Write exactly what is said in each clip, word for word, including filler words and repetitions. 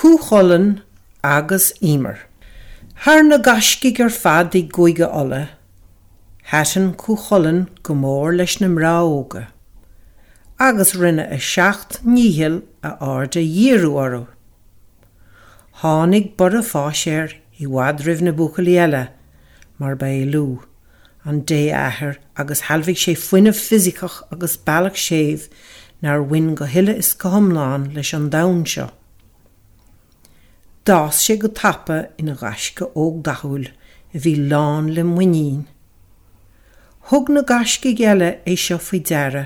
Cú Chulainn agus Emer. Thar na gaiscígh ar fad i gCúige Uladh, thaitin Cú Chulainn go mór leis na mná óga, agus rinne a seacht ndícheall a aird a dhíriú orthu. Tháinig borradh fáis air i bhfad roimh na buachaillí eile, mar ba é Lugh, an dé-athair agus shealbhaigh sé fuinneamh fisiceach agus bealach séimh nár bhain go huile is go hiomlán leis an domhan seo. D'fhás sé go tapa ina ghaisce óg dathúil a bhí lán le muinín. Thug na gaiscígh eile é seo faoi deara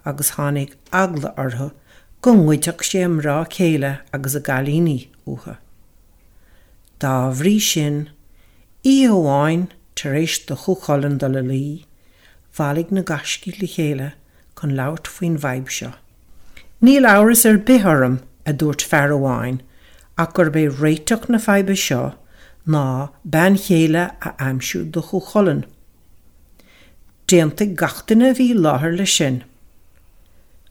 agus tháinig eagla orthu go ngoidfeadh sé a mná céile agus a gcailíní uathu. Dá bhrí sin, oíche amháin tar éis do Chú Chulainn dul a luí, bhailigh na gaiscígh le chéile chun labhairt faoin bhfadhb seo. Níl amhras ar bith orm, a dúirt fear amháin, ach gurb é réiteach na faidhbe seo ná bean chéile a aimsiú do Chú Chulainn. D'aontaigh gach duine a bhí i láthair leis sin.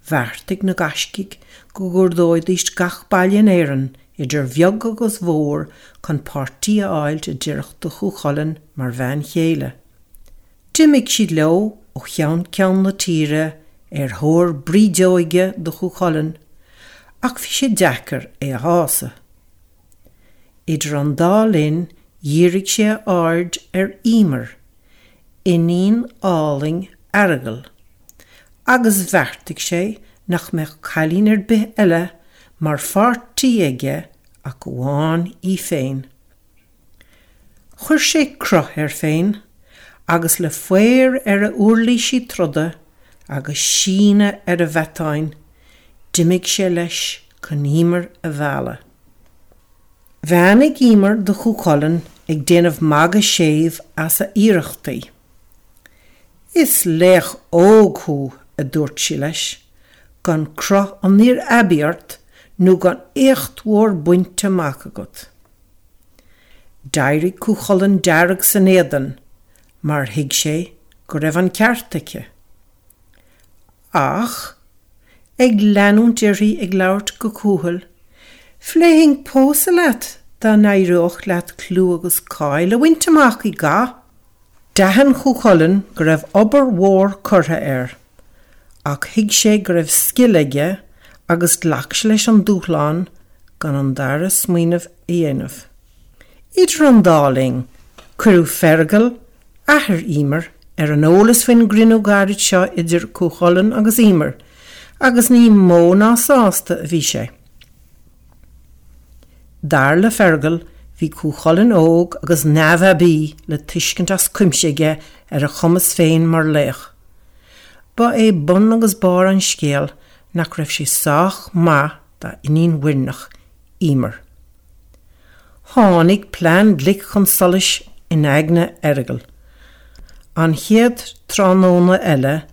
Bheartaigh na gaiscígh go gcuardóidís gach baile in Éirinn, idir bheag agus mhór, chun páirtí a fháil a d'oirfeadh do Chú Chulainn mar bhean chéile. D'imigh siad leo ó cheann ceann na tíre ar thóir brídeoige do Chú Chulainn, ach bhí sé deacair é a shásamh. Idir an dá linn dhírigh sé a aird ar Emer, iníon álainn Fheargail, agus bheartaigh sé nach mbeadh cailín ar bith eile mar pháirtí aige ach amháin í féin. Chuir sé cruth air féin agus le faobhar ar a uirlisí troda agus síneadh ar a mhatáin, d'imigh sé leis chun Emer a mhealladh. Bheannaigh Emer do Chú Chulainn ag déanamh magadh séimh as a iarrachtaí. Is laoch óg thú, a dúirt sí leis, gan cruth an fhir aibí ort nó gan éacht mhór bainte amach agat. D'éirigh Cú Chulainn dearg san éadan mar thuig sé go raibh an ceart aici. Ach, ag leanúint uirthi ag labhairt go cúthail, phléifinn pósadh leat dá n-éireodh leat clú agus cáil a bhaint amach i gcath. D'aithin Cú Chulainn go raibh obair mhór curtha air, ach thuig sé go raibh scil aige agus ghlac sé leis an dúshlán gan an dara smaoineamh a dhéanamh. Idir an dá linn, cuireadh Fergal, athair Emer, ar an eolas faoin gcruinniú gairid seo idir Cú Chulainn agus Emer, agus ní mó ná sásta a bhí sé. Dar le Fergal, bhí Cú Chulainn óg agus neamhaibí le tuiscint as cuimse aige ar a chumas féin mar laoch. Ba é bun agus barr an scéil nach raibh sé sách maith dá iníon mhuirneach, Emer. Tháinig plean glic chun solais in aigne Fheargail. An chéad tráthnóna eile,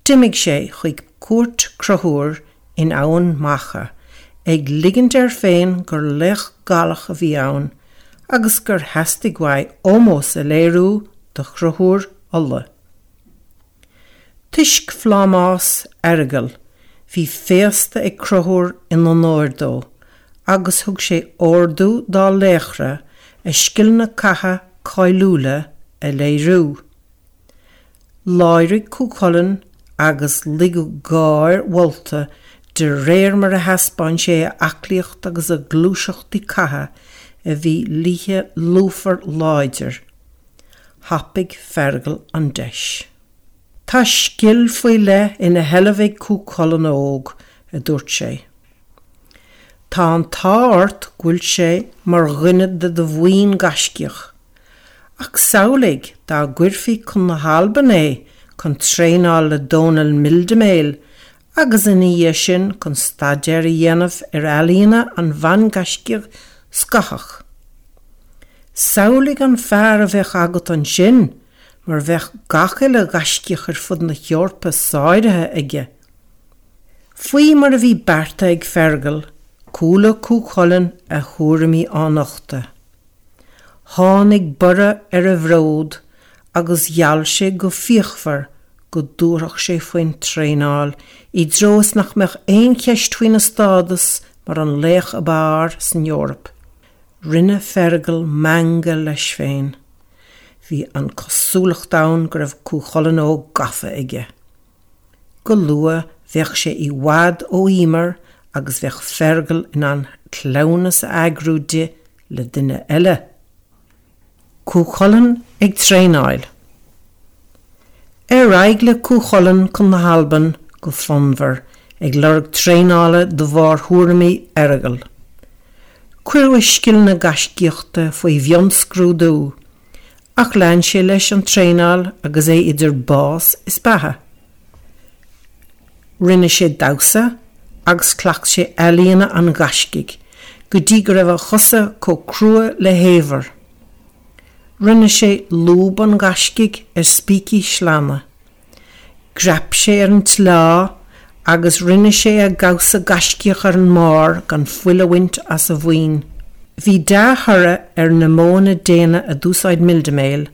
d'imigh sé chuig cúirt Chonchúir in Eamhain Mhacha, ag ligint air féin gur laoch Gallach a bhí ann agus gur theastaigh uaidh ómós a léiriú do Chonchúr Uladh. Toisc phlámás Fheargail, bhí féasta ag Conchúr in onóir dó, agus thug sé ordú dá laochra a scileanna catha cáiliúla a léiriú. Láirigh Cú Chulainn agus ligeadh gáir mholta de réir mar a thaispeáin sé a aclaíocht agus a ghluaiseachtaí catha a bhí liath lúfar láidir. Thapaigh Fergal an deis. Tá scil faoi leith ina sheilbh ag Cú Chulainn óg, a dúirt sé. Tá an t-ádh ort go bhfuil sé mar dhuine de do bhuíon gaiscíoch. Ach samhlaigh dá gcuirfí chun na hAlban é chun traenáil le Dónal Mildeméil agus ina dhiaidh sin chun staidéar a dhéanamh ar ealaíona an bhan-ghaiscíoch Scothach. Samhlaigh an fear a bheadh agat ansin mar bheadh gach uile ghaiscíoch ar fud na hEorpa sáraithe aige. Faoi mar a bhí beartaithe ag Fergal, chuala Cú Chulainn a thuairimí á nochtadh. Tháinig borradh ar a bhród agus gheall sé go fíochmhar go dtabharfadh sé faoin traenáil i dtreo is nach mbeadh aon cheist faoina stádas mar an laoch ab fhearr san Eoraip. Rinne Fergal meangadh leis féin. Bhí an chosúlacht ann go raibh Cú Chulainn óg gafa aige. Go luath bheadh sé i bhfad ó Emer agus bheadh Fergal in ann cleamhnas a eagrú di le duine eile. Cú Chulainn ag traenáil. Ar aghaidh le Cú Chulainn chun na hAlban go fonnmhar ag lorg traenála de bharr thuairimí Fheargail. Cuireadh a scileanna gaiscíochta faoi mhionscrúdú, ach lean sé leis an traenáil agus é idir bás is beatha. Rinne sé damhsa agus chleacht sé ealaíona an ghaiscígh go dtí go raibh a chosa chomh crua le hadhar. Rinne sé lúb an ghaiscígh ar spící sleánna. Dhreap sé ar an tsleá agus rinne sé a dhamhsa gaiscíoch ar an mbarr gan fuil a bhaint as a mhuin. Bhí dea-thoradh ar na modhanna daonna a d'úsáid Mildamail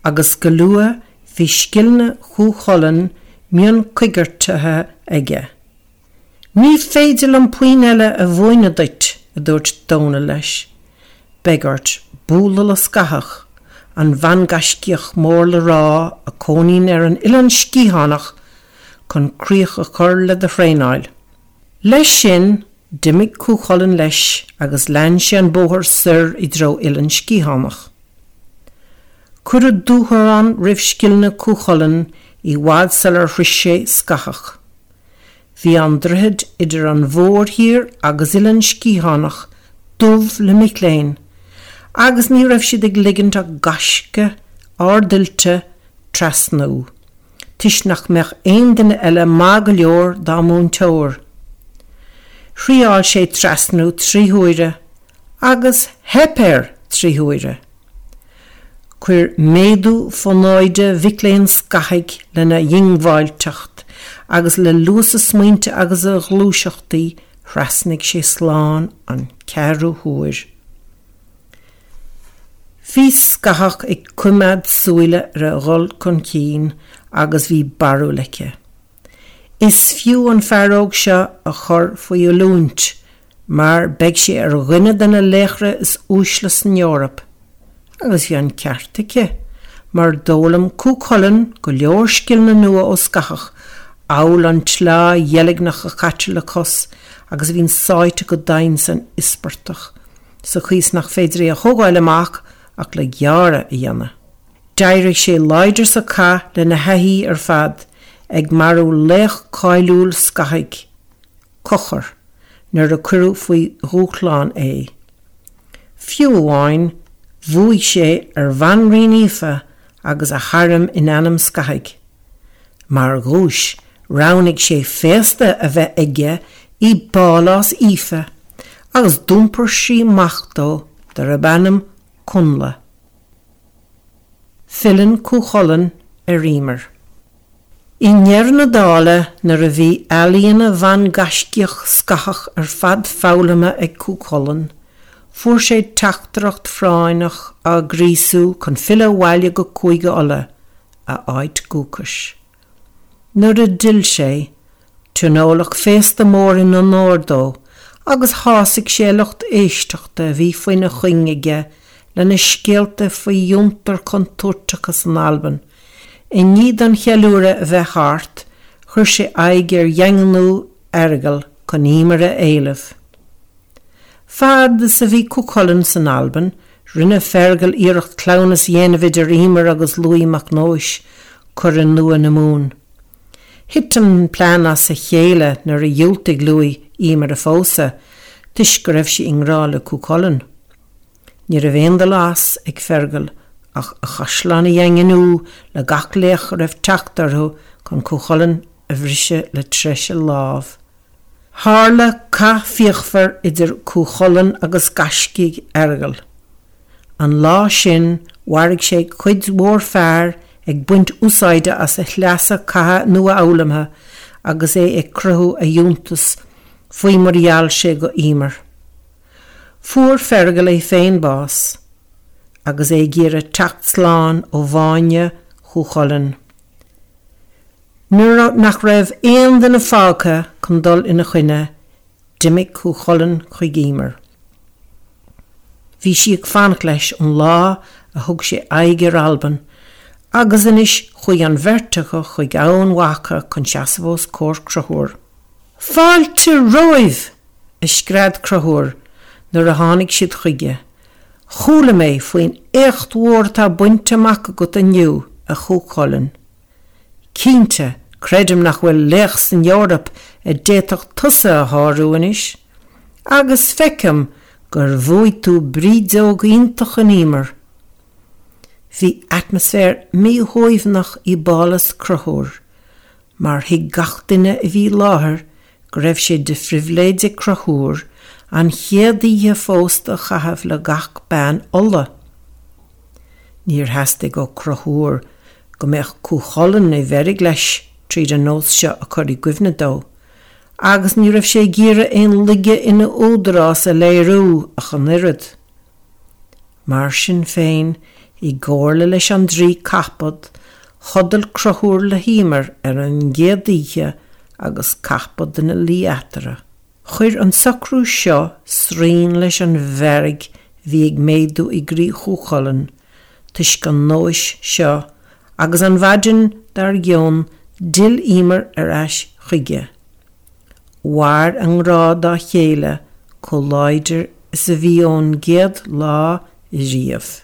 agus go luath bhí scileanna Chú Chulainn mionchoigeartaithe aige. Ní féidir liom puinn eile a mhúineadh duit, a dúirt Dónal leis. Beidh ort bualadh le Scáthach, an bhan-ghaiscíoch mór le rá a chónaíonn ar an Oileán Sciathánach chun críoch a chur le do thraenáil. Leis sin, d'imigh Cú Chulainn leis agus lean sé an bóthar soir i dtreo Oileán Sciathánach. Cuireadh dúshlán roimh scileanna Chú Chulainn i bhfad sular shroich sé Scáthach. Bhí an droichead idir an mhórthír agus Oileán Sciathánach dubh le mic léinn, agus ní raibh siad ag ligint ach gaisce ardoilte trasnú, toisc nach mbeadh aon duine eile maith go leor dá múinteoir. Thriáil sé trasnú trí huaire agus theip air trí huaire. Chuir méadú fonóide mhic léinn Scáthaigh lena dhiongbháilteacht agus le luas a smaointe agus a ghluaiseachtaí thrasnaigh sé slán an ceathrú huair. Bhí Scáthach ag coimeád súile ar a dhul chun cinn agus bhí barúil aici. Is fiú an fear óg seo a chur faoi oiliúint, mar beidh sé ar dhuine de na laochra is uaisle san Eoraip. Agus bhí an ceart aici, mar d'fhoghlaim Cú Chulainn go leor scileanna nua ó Scáthach, amhail an tsleá dheilgneach a chaitear le cos agus a bhíonn sáite go domhain san íospartach, sa chaoi is nach féidir é a thógáil amach ach le gearradh a dhéanamh. D'éirigh sé láidir sa chath lena thaithí ar fad, ag marú laoch cáiliúil Scáthaigh, Conchúr, nuair a cuireadh faoi dhúshlán é. Fiú amháin, bhuaigh sé ar Bhanríon Aoife agus a harm in ainm Scáthaigh. Mar dhuais, roghnaigh sé féasta a bheith aige i bpálás Aoife, agus d'iompair sí mac dó darb ainm Connla. Filleann Cú Chulainn ar Emer. I ndeireadh na dála nuair a bhí ealaíona bhan-ghaiscíoch Scáthach ar fad foghlamtha ag Cú Chulainn, fuair sé teachtaireacht phráinneach á ghríosú chun filleadh abhaile go Cúige Uladh, a áit dhúchais. Nuair a d'fhill sé, tionóladh féasta mór in onóir dó agus shásaigh sé a lucht éisteachta a bhí faoina chuing aige lena scéalta faoi fhiontair chontúirteacha san Albain. I ndiaidh don cheiliúradh a bheith thart, chuir sé aghaidh ar dhaingniú Fheargail chun Emer a éileamh. Fad is a bhí Cú Chulainn san Albain, rinne Fergal iarracht cleamhnas a dhéanamh idir Emer agus Lughaidh Mac Nóis, curadh nua na Mumhan. Thit an plean as a chéile nuair a dhiúltaigh Lughaidh Emer a phósadh, toisc go raibh sí i ngrá le Cú Chulainn. Ní raibh aon dul as ag Fergal ach a chaisleán a dhaingniú le gach laoch a raibh teacht orthu chun Cú Chulainn a bhriseadh le treise lámh. Tharla cath fíochmhar idir Cú Chulainn agus gaiscígh Fheargail. An lá sin mharaigh sé cuid mhór fear ag baint úsáide as a shleasa catha nua-fhoghlamtha agus é ag cruthú a fhiúntas faoi mar a gheall sé go Emer. Fuair Fergal é féin bás, agus é ag iarraidh teacht slán ó bháine Chú Chulainn. Nuair nach raibh aon duine fágtha chun dul ina choinne, D'imigh Cú Chulainn chuig Emer. Bhí sí ag fanacht leis ón lá a thug sé aghaidh ar Albain, agus anois chuaigh an bheirt acu chuig Eamhain Mhacha chun seasamh os comhair Chonchúir. Fáilte romhaibh! a scread Conchúr nuair a tháinig siad chuige. Chuala mé faoin éacht mhór atá bainte amach agat inniu, a Chú Chulainn. Cinnte, creidim nach bhfuil laoch san Eoraip a d'fhéadfadh tusa a shárú anois, agus feicim gur bhuaigh tú brídeog iontach in Emer. Bhí atmaisféar míshuaimhneach i bpálás Chonchúir, mar thuig gach duine a bhí i láthair go raibh sé de phribhléid ag Conchúr an chéad oíche phósta a chaitheamh le gach bean Uladh. Níor theastaigh ó Chonchúr go mbeadh Cú Chulainn i bhfeirg leis tríd an nós seo a chur i gcuimhne dó, agus ní raibh sé ag iarraidh aon laige ina údarás a léiriú ach an oiread. Mar sin féin, i gcomhairle leis an draoi Cathbad, chodail Conchúr le hEmer ar an gcéad oíche agus Cathbad ina luí eatarthu. Chuir an socrú seo srian leis an bhfearg a bhí ag méadú i gcroí Chú Chulainn toisc an nóis seo agus an mhaidin dár gcionn d'fhill Emer ar ais chuige. Mhair a ngrá dá chéile chomh láidir is a bhí ón gcéad lá riamh.